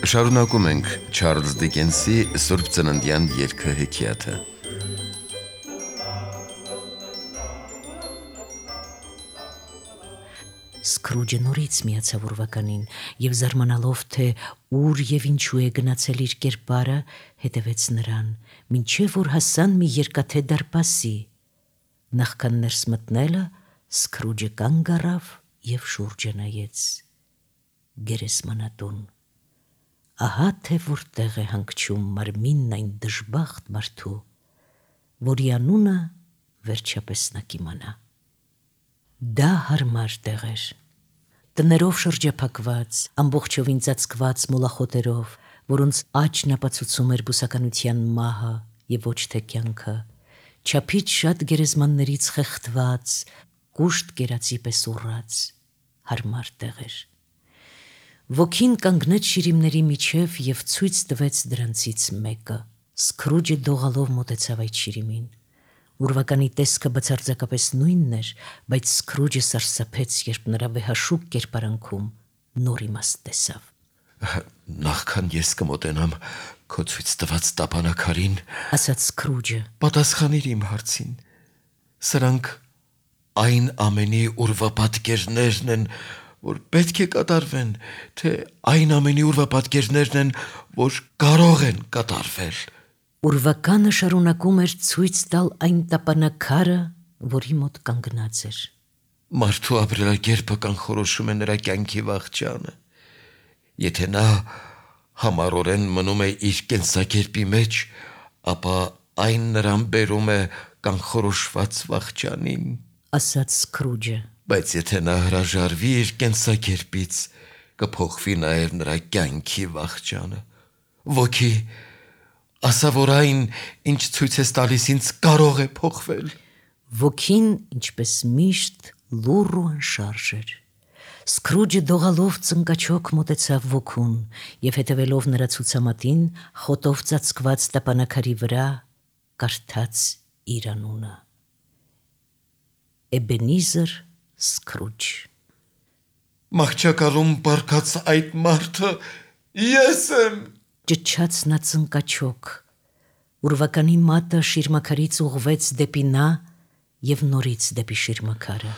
Շարունակում ենք Չարլզ Դիկենսի Սուրբ Ծննդյան երգը հեքիաթը։ Սկրուջը նորից միացավ ուրվականին և զարմանալով, թե ուր և ինչու է գնացել իր կերպարը, հետևեց նրան, մինչև որ հասան մի երկաթե դարպասի։ Նախքան ներս մտնելը Սկրուջը կանգ առավ և շուրջը նայեց։ Գերեզմանատուն։ Ահա թե որտեղ է հանգչում մարմինն այն դժբախտ մարդու, որի անունը վերջապես նա կիմանա։ Դա հարմար տեղ էր, տներով շրջափակված, ամբողջովին ծածկված մոլախոտերով, որոնց աճն ապացուցում էր բուսականության մահը և ոչ թե կյանքը, չափից շատ գերեզմաններից խեղդված, կուշտ կերածի պես ուռած, հարմար տեղ էր։ Ոգին կանգնեց շիրիմների միջև և ցույց տվեց դրանցից մեկը։ Սկրուջը դողալով մոտեցավ այդ շիրիմին։ Ուրվականի տեսքը բացարձակապես նույնն էր, բայց Սկրուջը սարսափեց, երբ նրա վեհաշուկ կերպարանքում նոր իմաստ տեսավ։ Նախքան ես կմոտենամ քո ցույց տված տապանաքարին, ասաց Սկրուջը, պատասխանիր իմ հարցին։ Սրանք այն ամենի ուրվապատկերներն են, որ պետք է կատարվեն, թե այն ամենի ուրվապատկերներն են, որ կարող են կատարվել։ Ուրվականը շարունակում էր ցույց տալ այն տապանաքարը, որի մոտ կանգնած էր։ Մարդու ապրելակերպը կանխորոշում է նրա կյանքի վախճանը։ Եթե նա համառորեն մնում է իր կենսակերպի մեջ, ապա այն նրան բերում է կանխորոշված վախճանին, ասաց Սկրուջը։ Բայց եթե նա հրաժարվի իր կենսակերպից, կփոխվի նաև նրա կյանքի վախճանը։ Ոգի, ասա, որ այն, ինչ ցույց ես տալիս ինձ, կարող է փոխվել։ Ոգին, ինչպես միշտ, լուռ ու անշարժ էր։ Սկրուջը դողալով ծնկաչոք մոտեցավ ոգուն և հետևելով նրա ցուցամատին, խոտով ծածկված տապանաքարի վրա կարդաց իր անունը. Էբենիզեր Սկրուջ։ Մահճակալում պառկած այդ մարդը ես եմ, ճչաց նա ծնկաչոք։ Ուրվականի մատը շիրմաքարից ուղղվեց դեպի նա և նորից դեպի շիրմաքարը։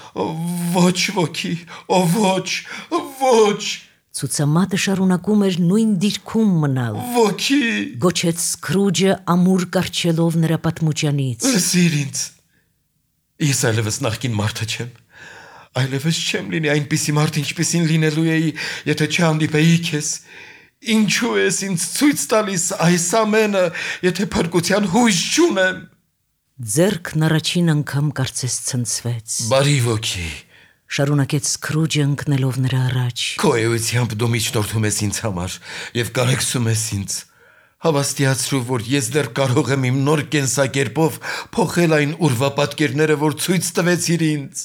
Ոչ ոգի, ոչ, ոչ, Ցուցամատը շարունակում էր նույն դիրքում մնալ։ ոգի, Գոչեց Սկրուջը ամուր կառչելով նրա պատմուճանից։ լսիր ինձ, ես այլևս նախկին մարդը չեմ, այլևս չեմ լինի այնպիսի մարդ, ինչպիսին լինելու էի, եթե չհանդիպեի քեզ։ Ինչու ես ինձ ցույց տալիս այս ամենը, եթե փրկության հույս չունեմ։ Ձեռքն առաջին անգամ կարծես ցնցվեց։ Բարի ոգի, Շարունակեց Սկրուջը ընկնելով նրա առաջ։ քո էությամբ դու միջնորդում ես ինձ համար և կարեկցում ես ինձ։ Հավաստիացրու, որ ես դեռ կարող եմ իմ նոր կենսակերպով փոխել այն ուրվապատկերները, որ ցույց տվեցիր ինձ։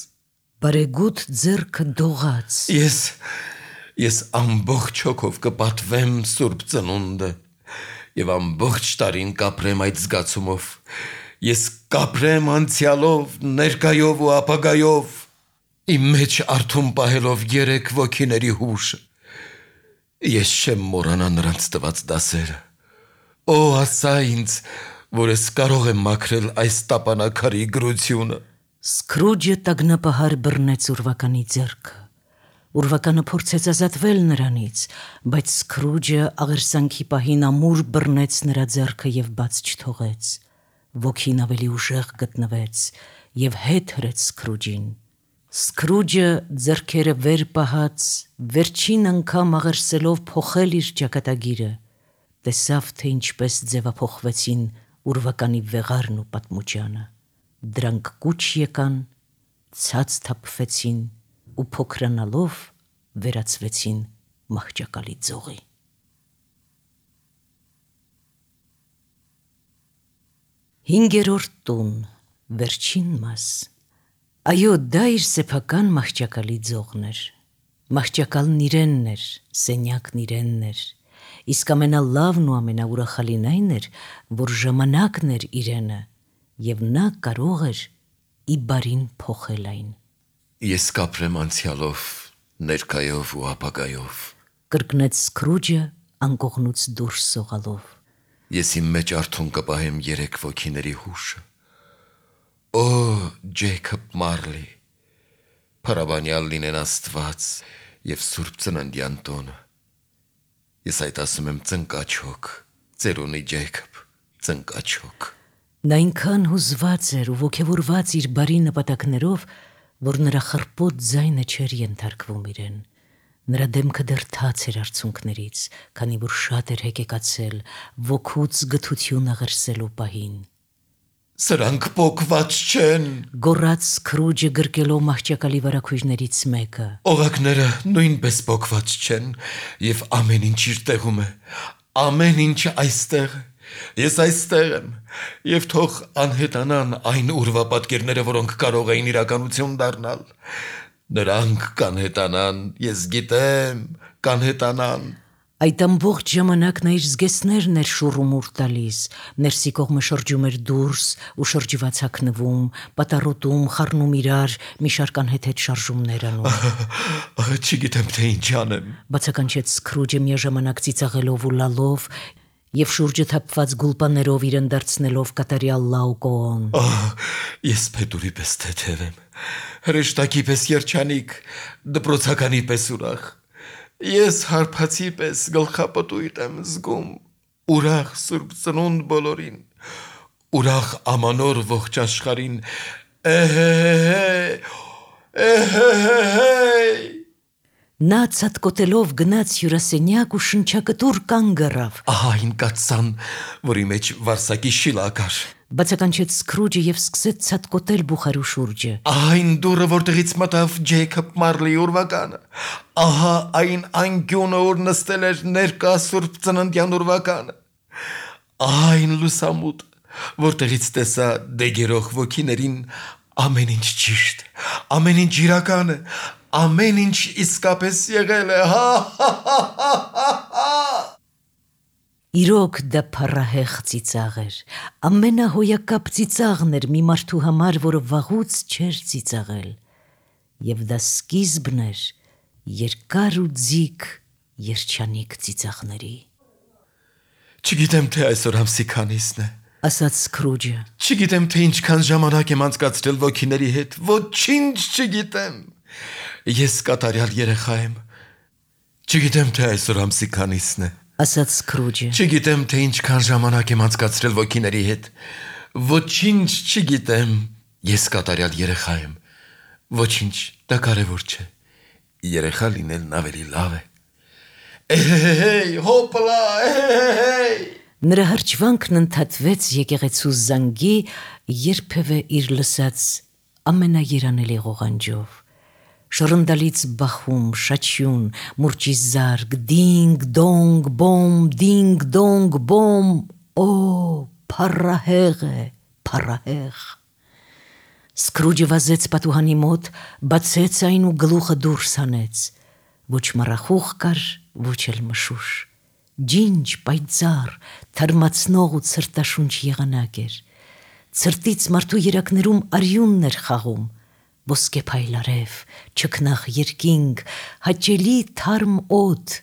Բարեգութ ձեռքը դողաց։ Ես ամբողջ հոգով կպատվեմ Սուրբ Ծնունդը և ամբողջ տարին կապրեմ այդ զգացումով։ Ես կապրեմ անցյալով, ներկայով ու ապագայով, իմ մեջ արթուն պահելով երեք ոգիների հուշը։ Ես չեմ մոռանա նրանց տված դասերը։ Օ, ասա ինձ, որ ես կարող եմ մաքրել այս տապանաքարի գրությունը։ Սկրուջը տագնապահար բռնեց ուրվականի ձեռքը։ Ուրվականը փորձեց ազատվել նրանից, բայց Սկրուջը աղերսանքի պահին ամուր բռնեց նրա ձեռքը և բաց չթողեց։ Ոգին ավելի ուժեղ գտնվեց և հետ հրեց Սկրուջին։ Սկրուջը ձեռքերը վեր պահած, վերջին անգամ աղերսելով փոխել իր ճակատագիրը, տեսավ, թե ինչպես ձևափոխվեցին ուրվականի վեղարն ու պատմուճանը։ Դրանք կուչ եկան, ցած թափվեցին ու փոքրանալով վերածվեցին մահճակալի ձողի։ Հինգերորդ տուն, վերջին մաս։ Այո, դա իր սեփական մահճակալի ձողն էր։ Մահճակալն իրենն էր, սենյակն իրենն էր, իսկ ամենալավն ու ամենաուրախալին այն էր, որ ժամանակն էր իրենը, և նա կարող էր ի բարին փոխել այն։ Ես կապրեմ անցյալով, ներկայով ու ապագայով, կրկնեց Սկրուջը անկողնուց դուրս սողալով։ Ես իմ մեջ արթուն կպահեմ 3 ոգիների հուշը։ Օ, Ջեյքոբ Մարլի, փառաբանյալ լինեն Աստված եւ Սուրբ Ծննդյան տոնը։ Ես այդ ասում եմ ծնկաչոք, ծերունի Ջեյքոբ, ծնկաչոք։ Նա այնքան հուզված էր ու ոգևորված իր բարի նպատակներով, որ նրա խռպոտ ձայնը չէր ենթարկվում իրեն։ Նրա դեմքը դեռ թաց էր արցունքներից, քանի որ շատ էր հեկեկացել ոգուց գթությունը ղրսելու պահին։ Սրանք պոկված չեն։ Գոռաց Սքրուջը գրկելով մահճակալի վարագույրներից մեկը։ Օղակները նույնպես պոկված չեն եւ ամեն ինչ իր տեղում է։ Ամեն ինչ այստեղ է։ Ես այստեղ եմ եւ թող անհետանան այն ուրվապատկերները, որոնք կարող էին իրականություն դառնալ։ Նրանք կանհետանան, ես գիտեմ, կանհետանան։ Այդ ամբողջ ժամանակ նա իր զգեստներն էր շուռումուռ տալիս, ներսի կողմը շրջում էր դուրս ու շրջված հագնվում, պատառոտում, խառնում իրար, մի շարք անհեթեթ շարժումներ անում։ Չգիտեմ թե ինչ անեմ։ Բացականչեց Սքրուջը միաժամանակ ծիծաղելով ու լալով եւ շուրջը թափված գուլպաներով իրեն դարձնելով կատարյալ լաուկոն։ Ես փետուրի պես թեթև եմ, հրեշտակի պես երջանիկ, դպրոցականի պես ուրախ։ Ես հարբացի պես գլխապտույտ եմ զգում, ուրախ Սուրբ Ծնունդ բոլորին, ուրախ ամանոր ողջ աշխարհին։ Նա ցածկոտելով գնաց հյուրասենյակ ու շնչակտուր կանգ առավ։ Ահա այն կաթսան, որի մեջ վարսակի շիլա կար։ Բացականչեց Սքրուջը եւ սկսեց ցածկոտել բուխարու շուրջը։ Ահա այն դուռը, որտեղից մտավ Ջեյքոբ Մարլի ուրվականը։ Ահա այն անկյունը, որ նստել էր ներկա Սուրբ Ծննդյան ուրվականը։ Ահա այն լուսամուտը, որտեղից տեսա դեգերող ոգիներին ամեն ինչ ճիշտ, ամեն ինչ իրական է, ամեն ինչ իսկապես եղել է։ Իրոք դա փառահեղ ծիծաղ էր, ամենահոյակապ ծիծաղն էր մի մարդու համար, որը վաղուց չէր ծիծաղել, եւ դա սկիզբն էր երկար ու ձիգ երջանիկ ծիծաղների։ Չգիտեմ թե այսօր ամսի քանիսն է, ասաց Սքրուջը։ Չգիտեմ թե ինչքան ժամանակ եմ անցկացրել ոգիների հետ, ոչինչ չգիտեմ։ Ես կատարյալ երեխա եմ։ Չգիտեմ թե այսօր ամսի քանիսն է, ասաց Սքրուջը։ Չգիտեմ թե ինչքան ժամանակ եմ անցկացրել ոգիների հետ, ոչինչ չգիտեմ։ Ես կատարյալ երեխա եմ։ Ոչինչ, դա կարևոր չէ։ Երեխա լինելն ավելի լավ է։ Հոպլա, Նրա հրճվանքն ընդհատվեց եկեղեցու զանգի երբևէ իր լսած ամենաերանելի ղողանջով։ Շռնդալից բախում, շաչյուն, մուրճի զարգ, դինգ, դոնգ, բոմ, դինգ, դոնգ, բոմ, օ, փառահեղ է, փառահեղ։ Սքրուջը վազեց պատուհանի մոտ, բացեց այն ու գլուխը դուրս հանեց։ Ոչ մառախուղ կար, ոչ էլ մշուշ։ Ջինջ, պայծառ, թարմացնող ու ցրտաշունչ եղանակ էր։ Ցրտից մարդու երակներում արյունն էր խաղում։ Ոսկե փայլարև, չքնաղ երկինք, հաճելի թարմ օդ,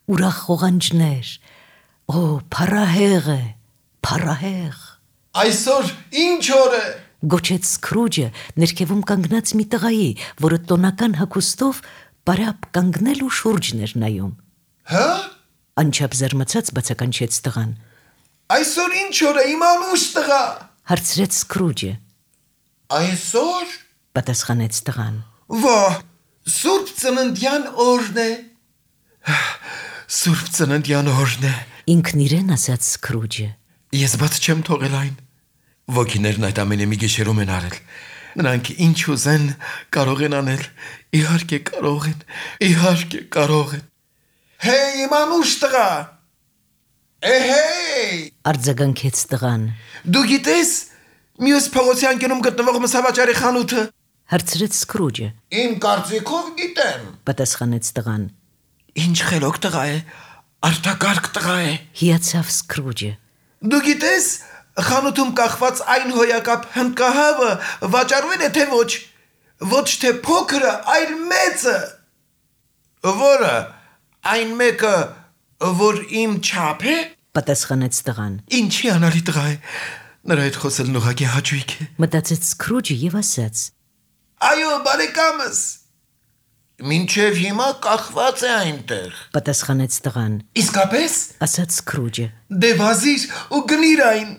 ուրախ ղողանջներ։ Օ, փառահեղ է, փառահեղ։ Այսօր ինչ օր է։ Գոչեց Սքրուջը ներքևում կանգնած մի տղայի, որը տոնական հագուստով բարապ կանգնել ու շուրջն էր նայում։ Հա՞։ Անչափ զարմացած բացականչեց տղան։ Այսօր ինչ օր է, իմ անուշ տղա։ Հարցրեց Սքրուջը։ Այսօր։ Պատասխանեց տղան։ Ვა, Սուրբ Ծննդյան օրն է։ Սուրբ Ծննդյան օրն է։ Ինքն իրեն ասաց Սքրուջը։ Ես բաց չեմ թողել այն։ Ոգիներն այդ ամենը մի գիշերում են արել։ Նրանք ինչ ուզեն կարող են անել։ Իհարկե կարող են, իհարկե կարող են։ Հեյ, իմ անուշ տղա։ Էհեյ։ Արձագանքեց տղան։ Դու գիտես մյուս փողոցի անկյունում գտնվող մսավաճարի խանութը։ Հարցրեց Սքրուջը։ Իմ կարծիքով գիտեմ։ Պատասխանեց տղան։ Ինչ խելոք տղա է, արտակարգ տղա է։ Հիացավ Սքրուջը։ Դու գիտես խանութում կախված այն հոյակապ հնդկահավը վաճառվել է թե ոչ։ Ոչ թե փոքրը, այլ մեծը։ Որը, այն մեկը, Որ իմ չափ է։ Պատասխանեց տղան։ Ինչի անալի տղա է։ Նրա հետ խոսելն ուղղակի հաճույք է։ Մտածեց Սքրուջը եւ ասաց. Այո, բարեկամս։ Մինչև հիմա կախված է այնտեղ։ Պատասխանեց տղան։ Իսկապես։ Ասաց Սքրուջը։ Դե վազիր ու գնիր այն։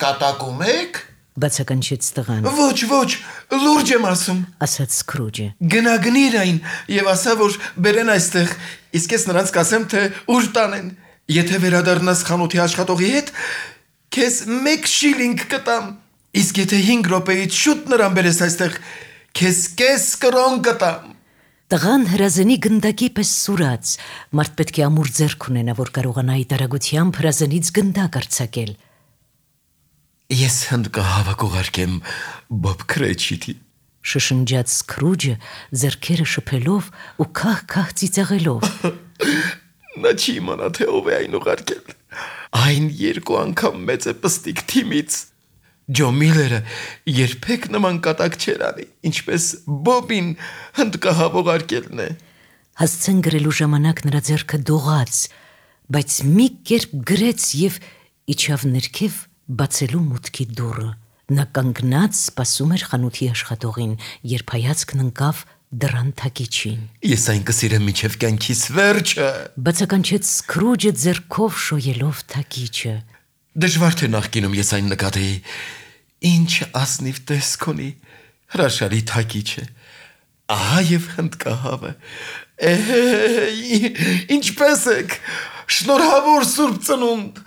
Կատակում եք։ Բացականչեց տղան։ Ոչ, լուրջ եմ ասում։ Ասաց Սքրուջը։ Գնա գնիր այն եւ ասա, որ բերեն այստեղ, իսկ ես նրանց կասեմ, թե ուր տանեն։ Եթե վերադառնաս խանութի աշխատողի հետ, քեզ 1 շիլինգ կտամ, իսկ եթե 5 րոպեից շուտ նրան բերես այստեղ, քեզ կես կրոն կտամ։ Տղան հրազենի գնդակի պես սուրաց, մարդ պետք է ամուր ձեռք ունենա, որ կարողանա այդ արագությամբ հրազենից գնդակ արձակել։ Ես հնդկահավը կուղարկեմ Բոբ Քրեչիտի։ Շշնջաց Սքրուջը, ձեռքերը շփելով ու քահ ծիծաղելով։ Նա չի իմանա, թե ով է այն ուղարկել։ Այն 2 անգամ մեծ է պստիկ թիմից։ Ջո Միլերը երբեք նման կատակ չեր անի, ինչպես Բոբին հնդկահավ ուղարկելն է։ Հասցեն գրելու ժամանակ նրա ձեռքը դողաց, բայց մի կերպ գրեց եւ իջավ ներքև բացելու մուտքի դուռը։ Նա կանգնած սպասում էր խանութի աշխատողին, երբ հայացքն ընկավ դռան թակիչին։ Ես այն կսիրեմ մինչև կյանքիս վերջը։ Բացականչեց Սքրուջը ձեռքով շոյելով թակիչը։ Դժվար թե նախկինում ես այն նկատեի։ Ինչ ասնիվ տեսք ունի, հրաշալի թակիչ է։ Ահա եւ հնդկահավը։ Ինչպես եք։ Շնորհավոր Սուրբ Ծնունդ։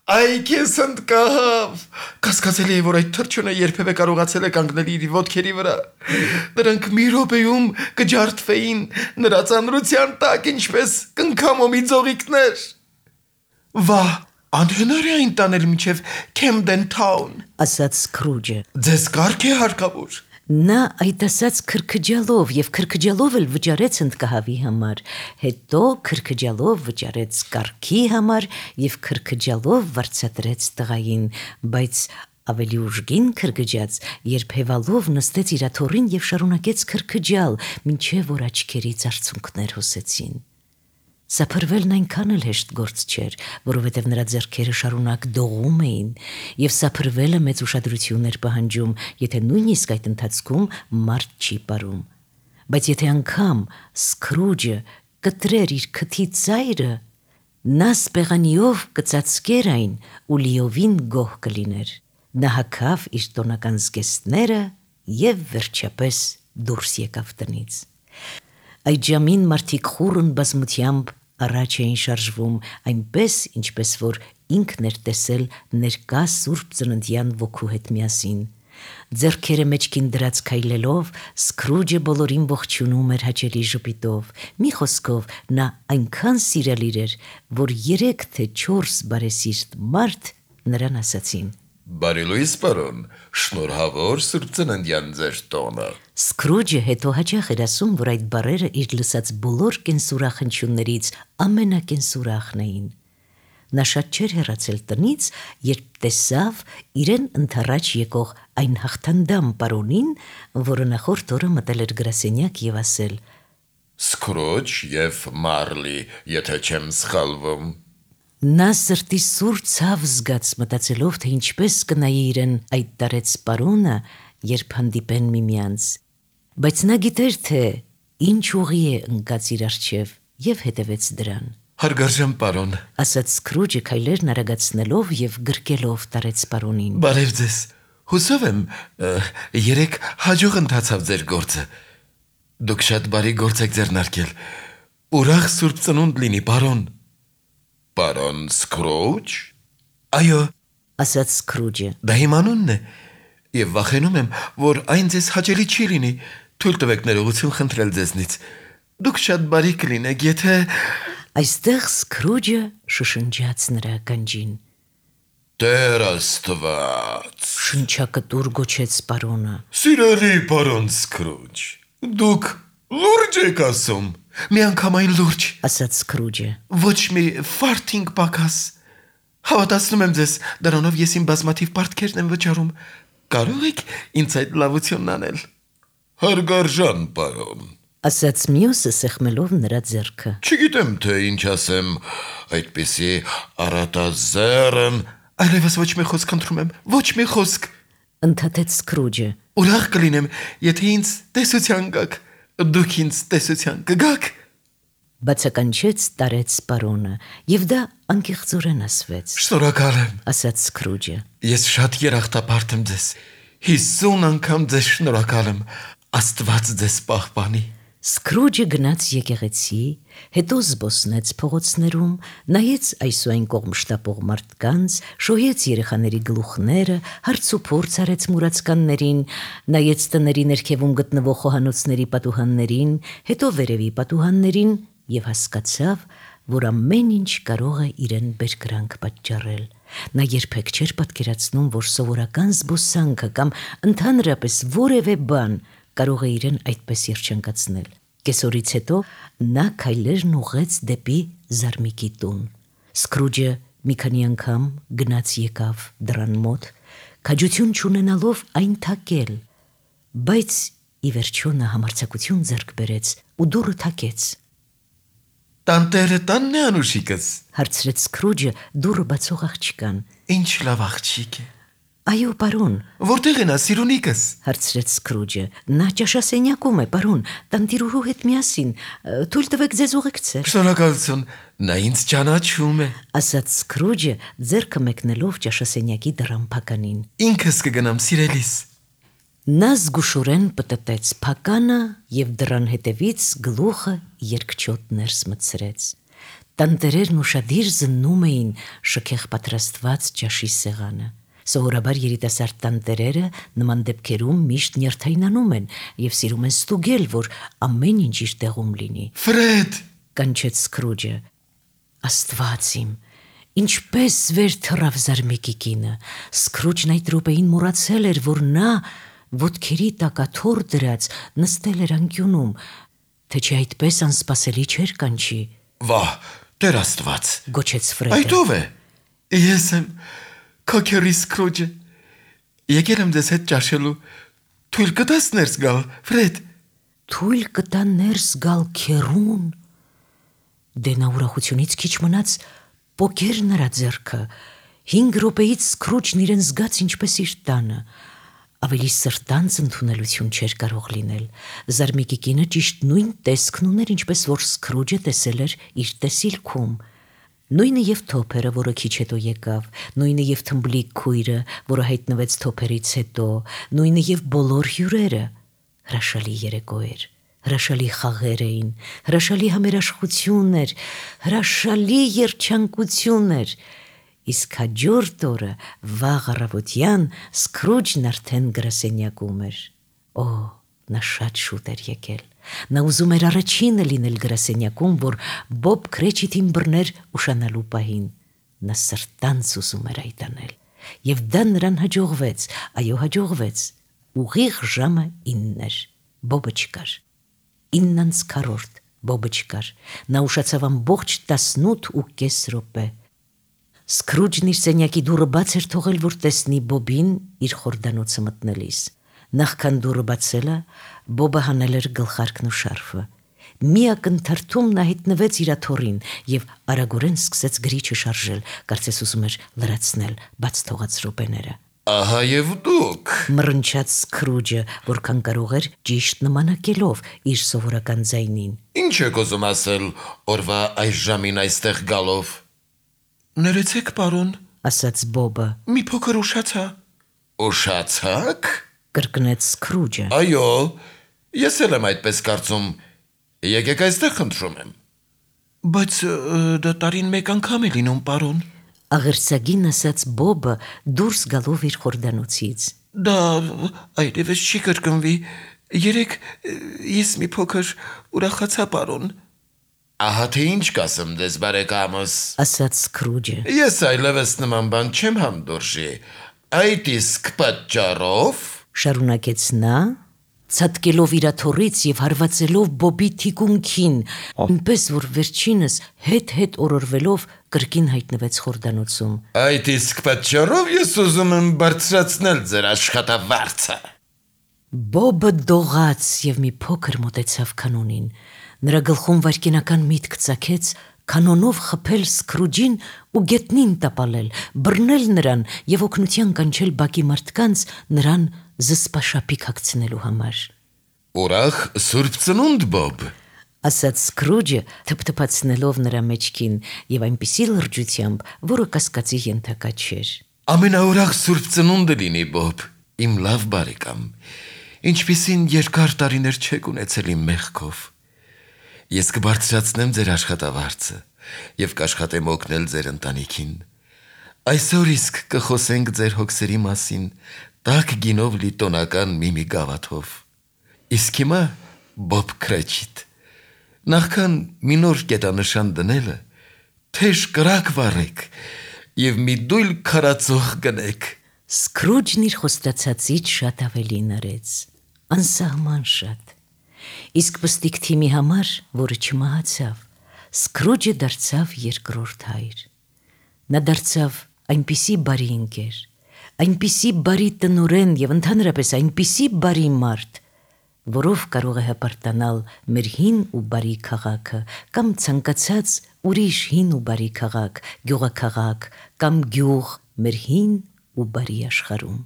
Այ քեզ հնդկահավ։ Կասկածելի է, որ այդ թրջունը երբևէ կարողացել է կանգնել իր ոտքերի վրա։ Նրանք մի րոպեում կջարդվեին նրա ծանրության տակ, ինչպես կնքամոմի ձողիկներ։ Վահ, անհնար է այն տանել մինչև Քեմդեն Թաուն, ասաց Սքրուջը։ Ձեզ կարգ է հարկավոր։ Նա այդ ասաց քրքջալով եւ քրքջալով էլ վճարեց հնդկահավի համար, հետո քրքջալով վճարեց կարգի համար եւ քրքջալով վարձատրեց տղային, բայց ավելի ուժգին քրքջաց, երբ հևալով նստեց իր աթոռին եւ շարունակեց քրքջալ, մինչեւ որ աչքերից արցունքներ հոսեցին։ Սափրվելն այնքան էլ հեշտ գործ չէր, որովհետև նրա ձեռքերը շարունակ դողում էին, եւ սափրվելը մեծ ուշադրություն էր պահանջում, եթե նույնիսկ այդ ընթացքում մարդ չի ապարում։ Բայց եթե անգամ Սքրուջը կտրեր իր քթի ծայրը, նա սպեղանիով կծածկեր այն ու լիովին գոհ կլիներ։ Նա հագավ իր տոնական զգեստները եւ վերջապես դուրս եկավ տնից։ Այդ ժամին մարդիկ խուռն բազմությամբ առաջ էին շարժվում, այնպես, ինչպես որ ինքն էր տեսել ներկա Սուրբ Ծննդյան ոգու հետ միասին։ Ձեռքերը մեջքին դրած քայլելով, Սքրուջը բոլորին ողջունում էր հաճելի ժպիտով։ Մի խոսքով, նա այնքան սիրալիր էր, որ 3 թե 4 բարեսիրտ մարդ նրան ասացին. Բարի լույս, պարոն, շնորհավոր Սուրբ Ծննդյան ձեր տոնը։ Սքրուջը հետո հաճախ էր ասում, որ այդ բառերը իր լսած բոլոր կենսուրախ հնչյուններից ամենակենսուրախն էին։ Նա շատ չէր հեռացել տնից, երբ տեսավ իրեն ընդառաջ եկող այն հաղթանդամ պարոնին, որը նախորդ օրը մտել էր գրասենյակ եւ ասել. Սքրուջ եւ Մարլի, եթե չեմ սխալվում։ Նա սրտի սուր ցավ զգաց, մտածելով, թե ինչպես կնայի իրեն այդ տարեց պարոնը, երբ հանդիպեն միմյանց։ Բայց նա գիտեր, թե ինչ ուղի է ընկած իր առջև եւ հետևեց դրան։ Հարգարժան պարոն, ասաց Սքրուջը քայլերն արագացնելով եւ գրկելով տարեց պարոնին։ Բարև ձեզ։ Հուսով եմ, երեք հաջող ընթացավ ձեր գործը։ Դուք շատ բարի գործ եք ձեռնարկել։ Ուրախ Սուրբ Ծնունդ լինի, պարոն։ Պարոն Սքրուջ։ Այո, ասաց Սքրուջը։ դա իմ անունն է, եւ վախենում եմ, որ այն ձեզ հաճելի չի լինի։ Թույլ տվեք ներողություն խնդրել ձեզնից։ Դուք շատ բարի կլինեք, եթե… Այստեղ Սքրուջը շշնջաց նրա ականջին։ Տեր Աստված։ Շնչակտուր գոչեց պարոնը։ Սիրելի պարոն Սքրուջ, դուք լուրջ եք ասում։ Միանգամայն լուրջ, ասաց Սքրուջը։ Ոչ մի ֆարթինգ պակաս։ Հավատացնում եմ ձեզ, դրանով ես իմ բազմաթիվ պարտքերն եմ վճարում։ Կարող եք ինձ այդ լավությունն անել։ Հարգարժան պարոն, ասաց մյուսը սեղմելով նրա ձեռքը։ Չգիտեմ, թե ինչ ասեմ, այդպիսի առատազերն, այլևս ոչ մի խոսք խնդրում եմ, ոչ մի խոսք։ Ընդհատեց Սքրուջը։ Ուրախ կլինեմ, եթե ինձ տեսության գաք, դուք ինձ տեսության կգաք։ Բացականչեց տարեց պարոնը, եւ դա անկեղծորեն ասվեց։ Շնորհակալ եմ, ասաց Սքրուջը։ ես շատ երախտապարտ եմ ձեզ, 50 անգամ ձեզ շնորհակալ եմ, Աստված ձեզ պահպանի։ Սքրուջը գնաց եկեղեցի, հետո զբոսնեց փողոցներում, նայեց այս ու այն կողմ շտապող մարդկանց, շոյեց երեխաների գլուխները, հարց ու փորձ արեց մուրացկաններին, նայեց տների ներքևում գտնվող խոհանոցների պատուհաններին, հետո վերևի պատուհաններին եւ հասկացավ, որ ամեն ինչ կարող է իրեն բերկրանք պատճառել։ Նա երբեք չէր պատկերացնում, որ սովորական զբոսանքը կամ ընդհանրապես որևէ բան կարող է իրեն այդպես երջանկացնել։ Կեսօրից հետո նա քայլերն ուղղեց դեպի Զարմիկի տուն։ Սքրուջը մի քանի անգամ գնաց եկավ դռան մոտ, քաջություն չունենալով այն թակել, բայց ի վերջո նա համարձակություն ձեռք բերեց ու դուռը թակեց։ Տանտերը տանն է անուշիկս, հարցրեց Սքրուջը դուռը բացող աղջկան։ ինչ լավ աղջիկ է։ Այո, պարոն, Որտեղ է նա սիրունիկս։ հարցրեց Սքրուջը։ Նա ճաշասենյակում է, պարոն, տանտիրուհու հետ միասին, թույլ տվեք ձեզ ուղեկցել։ Շնորհակալություն, նա ինձ ճանաչում է։ ասաց Սքրուջը, ձեռքը մեկնելով ճաշասենյակի դռան փականին։ Ինքս կգնամ սիրելիս։ Նա զգուշորեն պտտեց փականը եւ դռան հետևից գլուխը երկչոտ ներս մտցրեց։ Տանտերերն ուշադիր զննում էին շքեղ պատրաստված ճաշի սեղանը։ Սովորաբար երիտասարդ տանտերերը նման դեպքերում միշտ նյարդայնանում են եւ սիրում են ստուգել, որ ամեն ինչ իր տեղում լինի։ Ֆրեդ, կանչեց Սքրուջը։ Աստված իմ, ինչպես վեր թռավ Զարմիկի կինը։ Սքրուջն այդ րոպեին մոռացել էր, որ նա ոտքերի տակ աթոռ դրած նստել էր անկյունում, թե չէ այդպես անսպասելի չէր կանչի։ վահ, Տեր Աստված, գոչեց Ֆրեդը։ այդ ով է։ Ես եմ Քոքերի Սքրուջը։ Եկել եմ ձեզ հետ ճաշելու։ Թույլ կտաս ներս գալ, Ֆրեդ։ Թույլ կտա ներս գալ քերուն։ Դե նա ուրախությունից քիչ մնաց պոկեր նրա ձեռքը։ 5 րոպեից Սքրուջն իրեն զգաց ինչպես իր տանը։ Ավելի սրտանց ընդունելություն չէր կարող լինել։ Զարմիկի կինը ճիշտ նույն տեսքն ուներ, ինչպես որ Սքրուջը տեսել էր իր տեսիլքում։ Նույնը եւ թոփերը, որը քիչ հետո եկավ, նույնը եւ թմբլիկ քույրը, որը հայտնվեց թոփերից հետո, նույնը եւ բոլոր հյուրերը։ Հրաշալի երեկո էր, հրաշալի խաղեր էին, հրաշալի համերաշխություն էր, հրաշալի երջանկություն էր։ Իսկ հաջորդ օրը վաղ առավոտյան Սքրուջն արդեն գրասենյակում էր։ Օ, նա շատ շուտ էր եկել։ Նա ուզում էր առաջինը լինել գրասենյակում, որ Բոբ Քրեչիթին բռներ ուշանալու պահին։ Նա սրտանց ուզում էր այդ անել։ Եվ դա նրան հաջողվեց, այո, հաջողվեց։ Ուղիղ ժամը 9 էր։ Բոբը չկար։ 9:15 Բոբը չկար։ Նա ուշացավ ամբողջ 18.5 րոպե։ Սքրուջն իր սենյակի դուռը բաց էր թողել, որ տեսնի Բոբին իր խորդանոցը մտնելիս։ Նախքան դուռը բացելը, Բոբը հանել էր գլխարկն ու շարֆը։ Մի ակնթարթում նա հայտնվեց իր աթոռին եւ արագորեն սկսեց գրիչը շարժել, կարծես ուզում էր լրացնել բաց թողած րոպեները։ Ահա եւ դուք, մռնչաց Սքրուջը, որքան կարող էր ճիշտ նմանակելով իր սովորական ձայնին։ Ինչ եք ուզում ասել օրվա այս ժամին այստեղ գալով։ Ներեցեք, պարոն, ասաց Բոբը։ մի փոքր ուշացա։ Ուշացաք։ Կրկնեց Սքրուջը։ Այո, ես էլ եմ այդպես կարծում։ Եկեք այստեղ խնդրում եմ։ Բայց դա տարին մեկ անգամ է լինում, պարոն։ Աղերսագին ասաց Բոբը դուրս գալով իր խորդանոցից։ Դա այլևս չի կրկնվի։ Երեք ես մի փոքր ուրախացա, պարոն։ Ահա թե ինչ կասեմ դες բարեկամս, ասաց Սքրուջը։ Ես այլևս նման բան չեմ հանդուրժի։ Այդ իսկ պատճառով, շարունակեց նա, ցատկելով իր աթոռից եւ հարվածելով Բոբի թիկունքին, այնպես որ վերջինս հետ օրորվելով կրկին հայտնվեց խորդանոցում։ այդ իսկ պատճառով ես ուզում եմ բարձրացնել ձեր աշխատավարձը։ Բոբը դողաց և մի փոքր մոտեցավ կանոնին, նրա գլխում վայրկենական միտք ծագեց կանոնով խփել Սքրուջին ու գետնին տապալել, բռնել նրան և օգնության կանչել բակի մարդկանց նրան զսպաշապիկ հագցնելու համար։ Ուրախ Սուրբ Ծնունդ, Բոբ, ասաց Սքրուջը, թփթփացնելով նրա մեջքին և այնպիսի լրջությամբ, որը կասկածի ենթակա չէր։ ամենաուրախ Սուրբ Ծնունդը լինի, Բոբ, իմ լավ բարեկամ, ինչպիսին երկար տարիներ չեք ունեցել իմ մեղքով։ Ես կբարձրացնեմ ձեր աշխատավարձը և կաշխատեմ օգնել ձեր ընտանիքին։ Այսօր իսկ կխոսենք ձեր հոգսերի մասին տաք գինով լի տոնական մի գավաթով։ Իսկ հիմա, Բոբ Քրեչիտ, նախքան մի նոր կետանշան դնելը, թեժ կրակ վառեք և մի դույլ քարածող գնեք։ Սքրուջն իր խոստացածից շատ ավելին արեց, անսահման շատ։ Իսկ պստիկ թիմի համար, որը չմահացավ, Սքրուջը դարձավ երկրորդ հայր։ Նա դարձավ այնպիսի բարի ընկեր, այնպիսի բարի տնօրեն և ընդհանրապես այնպիսի բարի մարդ, որով կարող է հպարտանալ մեր հին ու բարի քաղաքը կամ ցանկացած ուրիշ հին ու բարի քաղաք, գյուղաքաղաք կամ գյուղ մեր հին ու բարի աշխարհում։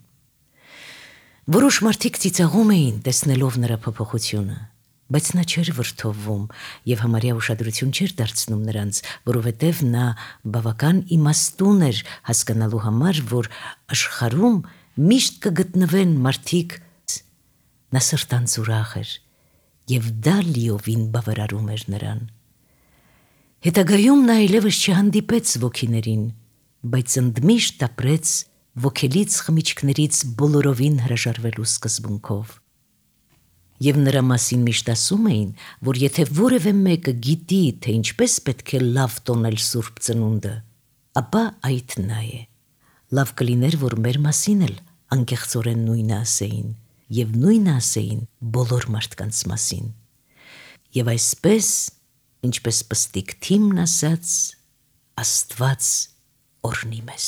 Որոշ մարդիկ ծիծաղում էին, տեսնելով նրա փոփոխությունը, բայց նա չէր վրդովվում և համարյա ուշադրություն չէր դարձնում նրանց, որովհետև նա բավական իմաստուն էր հասկանալու համար, որ աշխարհում միշտ կգտնվեն մարդիկ։ Նա սրտանց ուրախ էր և դա լիովին բավարարում էր նրան։ Հետագայում նա այլևս չհանդիպեց ոգիներին, բայց ընդմիշտ ապրեց ոգելից խմիչքներից բոլորովին հրաժարվելու սկզբունքով։ Եվ նրա մասին միշտ ասում էին, որ եթե որևէ մեկը գիտի, թե ինչպես պետք է լավ տոնել Սուրբ Ծնունդը, ապա այդ նա է։ Լավ կլիներ, որ մեր մասին էլ անկեղծորեն նույնը ասեին, և նույնը ասեին բոլոր մարդկանց մասին։ Եվ այսպես, ինչպես պստիկ թիմն ասաց, Աստված օրհնի մեզ։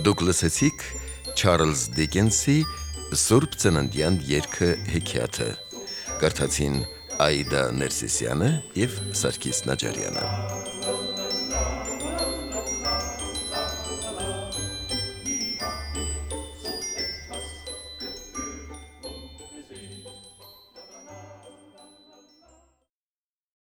Դուք լսեցիք Չարլզ Դիկենսի Սուրբ Ծննդյան երգը հեքիաթը, կարդացին Այդա Ներսիսյանը և Սարգիս Նաջարյանը։